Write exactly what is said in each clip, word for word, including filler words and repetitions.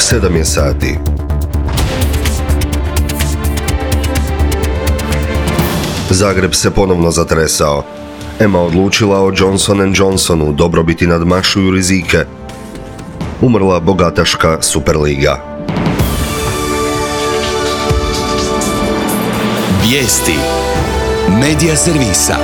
sedam je sati. Zagreb se ponovno zatresao. E M A odlučila o Johnson and Johnsonu, dobrobiti nadmašuju rizike. Umrla bogataška Superliga. Vijesti Medija servisa.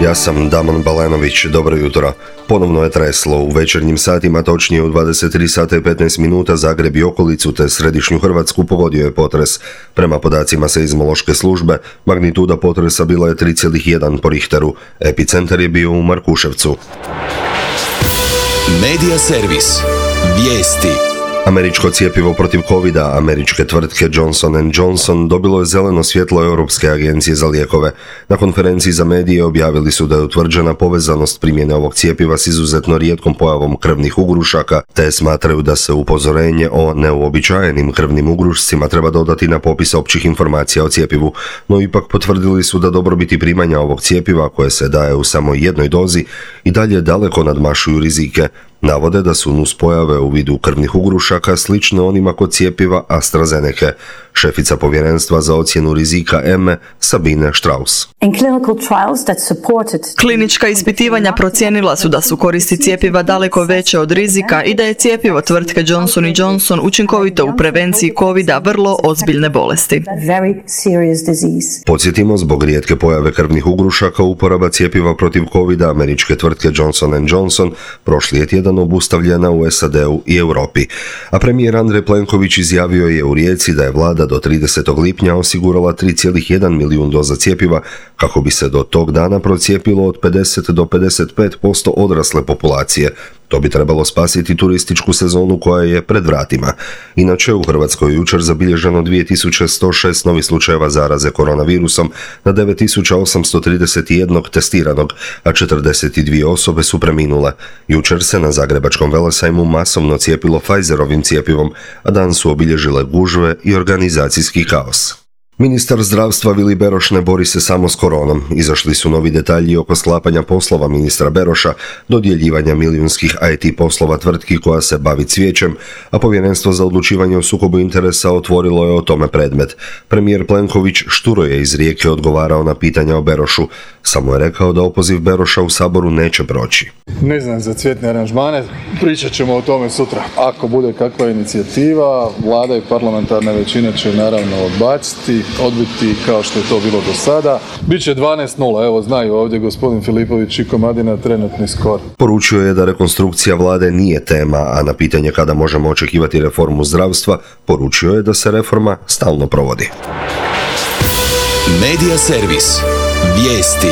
Ja sam Damon Balenović, dobro jutro. Ponovno je treslo. U večernjim satima, točnije u dvadeset tri sata i petnaest minuta, Zagreb i okolicu te središnju Hrvatsku pogodio je potres. Prema podacima seizmološke službe, magnituda potresa bila je tri zarez jedan po Richteru. Epicentar je bio u Markuševcu. Medija servis. Vijesti. Američko cjepivo protiv covida američke tvrtke Johnson and Johnson dobilo je zeleno svjetlo Europske agencije za lijekove. Na konferenciji za medije objavili su da je utvrđena povezanost primjene ovog cjepiva s izuzetno rijetkom pojavom krvnih ugrušaka, te smatraju da se upozorenje o neuobičajenim krvnim ugrušcima treba dodati na popis općih informacija o cjepivu, no ipak potvrdili su da dobrobiti primanja ovog cjepiva, koje se daje u samo jednoj dozi, i dalje daleko nadmašuju rizike. Navode da su nuspojave u vidu krvnih ugrušaka slične onima kod cjepiva AstraZeneca. Šefica povjerenstva za ocjenu rizika E M E, Sabine Strauss. Klinička ispitivanja procijenila su da su koristi cjepiva daleko veće od rizika i da je cjepivo tvrtke Johnson and Johnson učinkovito u prevenciji covida, vrlo ozbiljne bolesti. Podsjetimo, zbog rijetke pojave krvnih ugrušaka, uporaba cjepiva protiv covida američke tvrtke Johnson and Johnson prošli je tjedan obustavljena u S A D-u i Europi. A premijer Andrej Plenković izjavio je u Rijeci da je vlada do tridesetog lipnja osigurala tri zarez jedan milijun doza cjepiva kako bi se do tog dana procijepilo od pedeset do pedeset pet posto odrasle populacije. To bi trebalo spasiti turističku sezonu koja je pred vratima. Inače, u Hrvatskoj jučer zabilježeno dvije tisuće sto šest novih slučajeva zaraze koronavirusom na devet tisuća osamsto trideset jedan testiranog, a četrdeset dvije osobe su preminule. Jučer se na Zagrebačkom velesajmu masovno cijepilo Pfizerovim cjepivom, a dan su obilježile gužve i organizacijski kaos. Ministar zdravstva Vili Beroš ne bori se samo s koronom. Izašli su novi detalji oko sklapanja poslova ministra Beroša, dodjeljivanja milijunskih I T poslova tvrtki koja se bavi cvijećem, a Povjerenstvo za odlučivanje o sukobu interesa otvorilo je o tome predmet. Premijer Plenković šturo je iz Rijeke odgovarao na pitanja o Berošu. Samo je rekao da opoziv Beroša u Saboru neće proći. Ne znam za cvjetne aranžmane, pričat ćemo o tome sutra. Ako bude kakva inicijativa, vlada i parlamentarna većina će naravno odbaciti, odbiti kao što je to bilo do sada. Biće dvanaest nula, evo znaju ovdje gospodin Filipović i Komadina trenutni skor. Poručio je da rekonstrukcija vlade nije tema, a na pitanje kada možemo očekivati reformu zdravstva, poručio je da se reforma stalno provodi. Medija servis. Vijesti.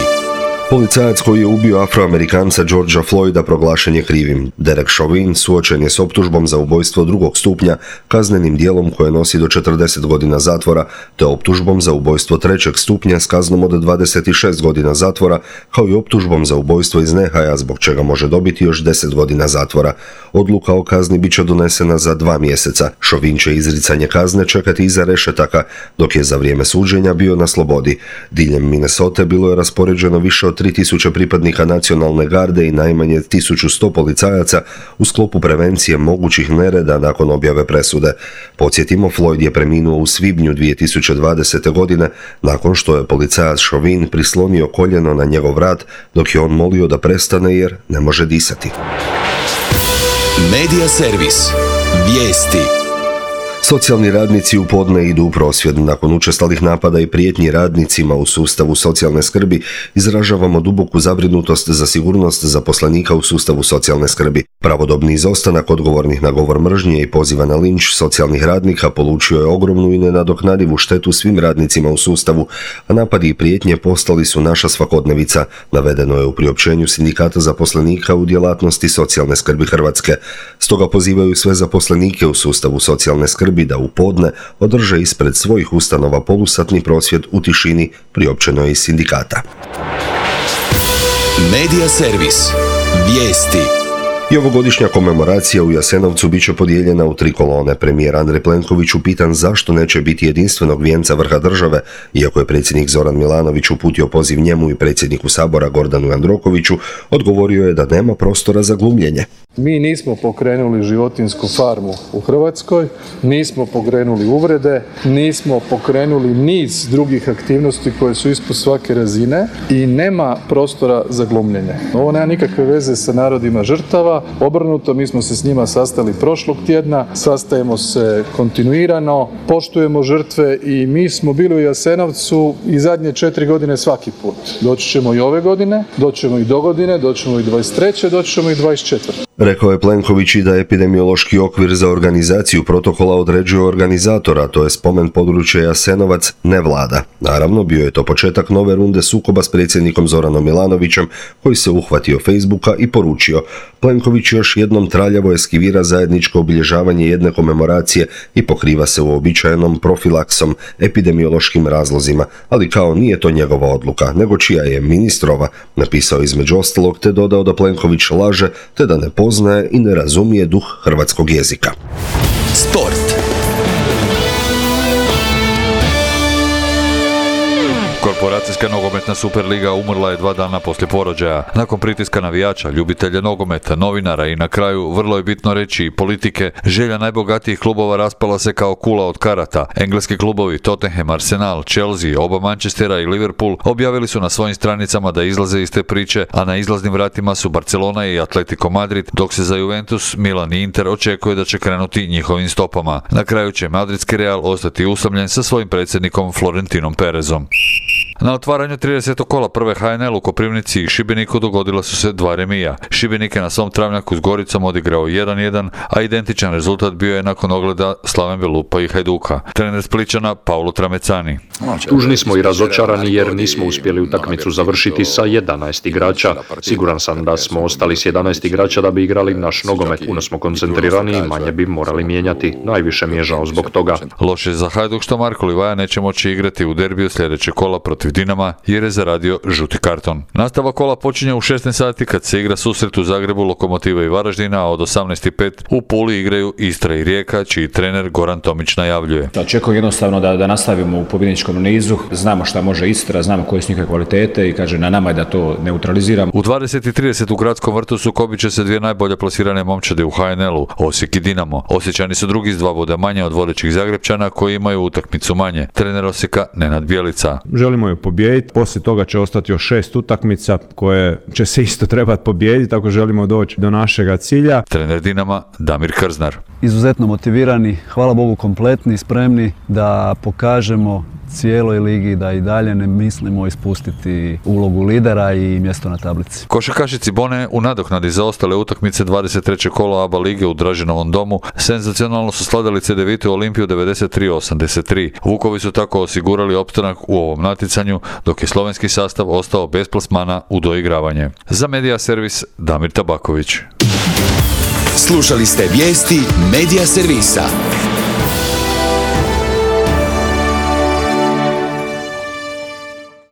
Policajac koji je ubio Afroamerikanca Georgea Floyda proglašen je krivim. Derek Chauvin suočen je s optužbom za ubojstvo drugog stupnja, kaznenim dijelom koje nosi do četrdeset godina zatvora, te optužbom za ubojstvo trećeg stupnja s kaznom od dvadeset šest godina zatvora, kao i optužbom za ubojstvo iz nehaja, zbog čega može dobiti još deset godina zatvora. Odluka o kazni bit će donesena za dva mjeseca. Chauvin će izricanje kazne čekati iza rešetaka, dok je za vrijeme suđenja bio na slobodi. Diljem Minnesota bilo je raspoređeno više od tri tisuće pripadnika nacionalne garde i najmanje tisuću sto policajaca u sklopu prevencije mogućih nereda nakon objave presude. Podsjetimo, Floyd je preminuo u svibnju dvije tisuće dvadesete. godine nakon što je policajac Chauvin prislonio koljeno na njegov vrat dok je on molio da prestane jer ne može disati. Medija servis. Vijesti. Socijalni radnici u podne idu u prosvjed. Nakon učestalih napada i prijetnji radnicima u sustavu socijalne skrbi, izražavamo duboku zabrinutost za sigurnost zaposlenika u sustavu socijalne skrbi. Pravodobni izostanak odgovornih na govor mržnje i poziva na linč socijalnih radnika polučio je ogromnu i nenadoknadivu štetu svim radnicima u sustavu, a napadi i prijetnje postali su naša svakodnevica, navedeno je u priopćenju Sindikata zaposlenika u djelatnosti socijalne skrbi Hrvatske. Stoga pozivaju sve zaposlenike u sustavu socijalne skrbi da u podne održe ispred svojih ustanova polusatni prosvjed u tišini, priopćeno je iz sindikata. Medija servis. Vijesti. I ovogodišnja komemoracija u Jasenovcu bit će podijeljena u tri kolone. Premijer Andrej Plenković upitan zašto neće biti jedinstvenog vijenca vrha države, iako je predsjednik Zoran Milanović uputio poziv njemu i predsjedniku Sabora Gordanu Jandrokoviću, odgovorio je da nema prostora za glumljenje. Mi nismo pokrenuli životinjsku farmu u Hrvatskoj, nismo pokrenuli uvrede, nismo pokrenuli niz drugih aktivnosti koje su ispod svake razine i nema prostora za glumljenje. Ovo nema nikakve veze sa narodima žrtava, obrnuto, mi smo se s njima sastali prošlog tjedna, sastajemo se kontinuirano, poštujemo žrtve i mi smo bili u Jasenovcu i zadnje četiri godine svaki put. Doći ćemo i ove godine, doći ćemo i do godine, doći ćemo i dvadeset treće, doći ćemo i dvadeset četvrte. Rekao je Plenković i da epidemiološki okvir za organizaciju protokola određuje organizatora, to je spomen područja Jasenovac, ne vlada. Naravno, bio je to početak nove runde sukoba s predsjednikom Zoranom Milanovićem, koji se uhvatio Facebooka i poručio: Plenković još jednom traljavo eskivira zajedničko obilježavanje jedne komemoracije i pokriva se uobičajenom profilaksom, epidemiološkim razlozima, ali kao nije to njegova odluka, nego čija je ministrova, napisao između ostalog, te dodao da Plenković laže, te da ne poznaje i ne razumije duh hrvatskog jezika. Sport. Korporacijska nogometna Superliga umrla je dva dana poslije porođaja. Nakon pritiska navijača, ljubitelja nogometa, novinara i na kraju, vrlo je bitno reći, i politike, želja najbogatijih klubova raspala se kao kula od karata. Engleski klubovi Tottenham, Arsenal, Chelsea, oba Manchestera i Liverpool objavili su na svojim stranicama da izlaze iz te priče, a na izlaznim vratima su Barcelona i Atletico Madrid, dok se za Juventus, Milan i Inter očekuje da će krenuti njihovim stopama. Na kraju će madridski Real ostati usamljen sa svojim predsjednikom Florentinom Perezom. Na otvaranju tridesetog kola prve H N L u Koprivnici i Šibeniku dogodila su se dva remija. Šibenik je na svom travnjaku s Goricom odigrao jedan jedan, a identičan rezultat bio je nakon ogleda Slaven Belupa i Hajduka. Trener Splićana Paulo Tramecani. Tužni smo i razočarani jer nismo uspjeli utakmicu završiti sa jedanaest igrača. Siguran sam da smo ostali s jedanaest igrača da bi igrali naš nogomet. Puno smo koncentrirani i manje bi morali mijenjati. Najviše mi je žao zbog toga. Loše za Hajduk što Marko Livaja neće moći igrati u derbiju sljedećeg kola protiv Dinama jer je zaradio žuti karton. Nastava kola počinje u šesnaest sati kad se igra susret u Zagrebu Lokomotiva i Varaždina, a od osamnaest i pet u Puli igraju Istra i Rijeka, čiji trener Goran Tomić najavljuje. Očekujem jednostavno da, da nastavimo u pobjedničkom nizu, znamo šta može Istra, znamo koje su njihove kvalitete i kaže na nama je da to neutraliziramo. U dvadeset i trideset u Gradskom vrtu sukobit će se dvije najbolje plasirane momčade u H N L-u, Osijek i Dinamo. Osječani su drugi s dva boda manje od vodećih Zagrepčana koji imaju utakmicu manje. Trener Osijeka Nenad Bjelica. Želimo je pobijediti, poslije toga će ostati još šest utakmica koje će se isto trebati pobijediti ako želimo doći do našega cilja. Trener Dinama Damir Krznar. Izuzetno motivirani, hvala Bogu kompletni, spremni da pokažemo cijeloj ligi da i dalje ne mislimo ispustiti ulogu lidera i mjesto na tablici. Košarkaši Cibone u nadoknadi za ostale utakmice dvadeset trećeg kola A B A lige u Draženovom domu senzacionalno su sladali Cedevitu Olimpiju devedeset tri osamdeset tri. Vukovi su tako osigurali opstanak u ovom natjecanju, dok je slovenski sastav ostao bez plasmana u doigravanje. Za Medija Servis Damir Tabaković. Slušali ste vijesti Medija Servisa.